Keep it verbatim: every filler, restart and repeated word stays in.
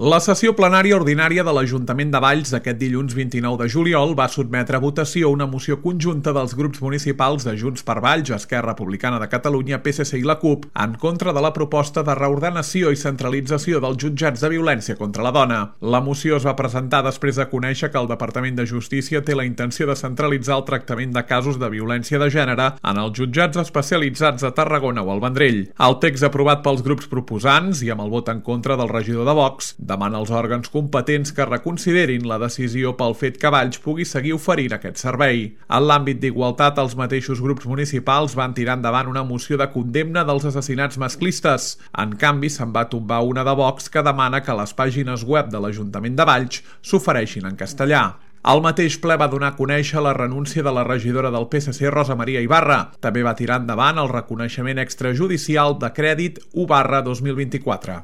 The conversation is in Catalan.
La sessió plenària ordinària de l'Ajuntament de Valls aquest dilluns vint-i-nou de juliol va sotmetre a votació una moció conjunta dels grups municipals de Junts per Valls, Esquerra Republicana de Catalunya, P S C i la CUP en contra de la proposta de reordenació i centralització dels jutjats de violència contra la dona. La moció es va presentar després de conèixer que el Departament de Justícia té la intenció de centralitzar el tractament de casos de violència de gènere en els jutjats especialitzats a Tarragona o al Vendrell. El text aprovat pels grups proposants i amb el vot en contra del regidor de Vox demana als òrgans competents que reconsiderin la decisió pel fet que Valls pugui seguir oferint aquest servei. En l'àmbit d'igualtat, els mateixos grups municipals van tirar endavant una moció de condemna dels assassinats masclistes. En canvi, se'n va tombar una de Vox que demana que les pàgines web de l'Ajuntament de Valls s'ofereixin en castellà. El mateix ple va donar a conèixer la renúncia de la regidora del P S C, Rosa Maria Ibarra. També va tirar endavant el reconeixement extrajudicial de crèdit u barra dos mil vint-i-quatre.